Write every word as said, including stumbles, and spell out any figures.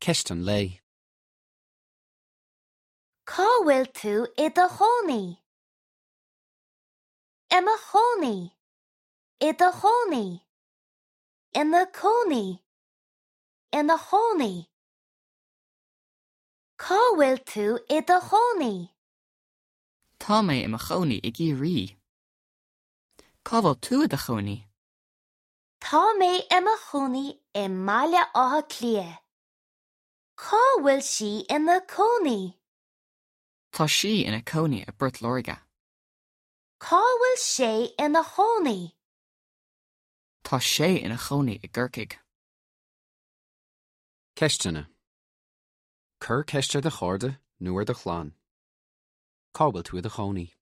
Ceist an lae. Cá bhfuil tú i do chónaí? I mo chónaí. I do chónaí. Ina cónaí. Ina chónaí. Cá bhfuil tú i do chónaí? Tá mé i mo chónaí i gCiarraí. Cá bhfuil tú i do chónaí? Tá mé i mo chónaí i mBaile Átha Cliath. Cá bhfuil sí ina cónaí? Tá sí ina cónaí i bPort Láirge. Cá bhfuil sé ina chónaí? Tá sé ina chónaí i gCorcaigh. Ceisteanna. Cuir ceist ar do chairde nó ar do chlann. Cá bhfuil tú i do chónaí?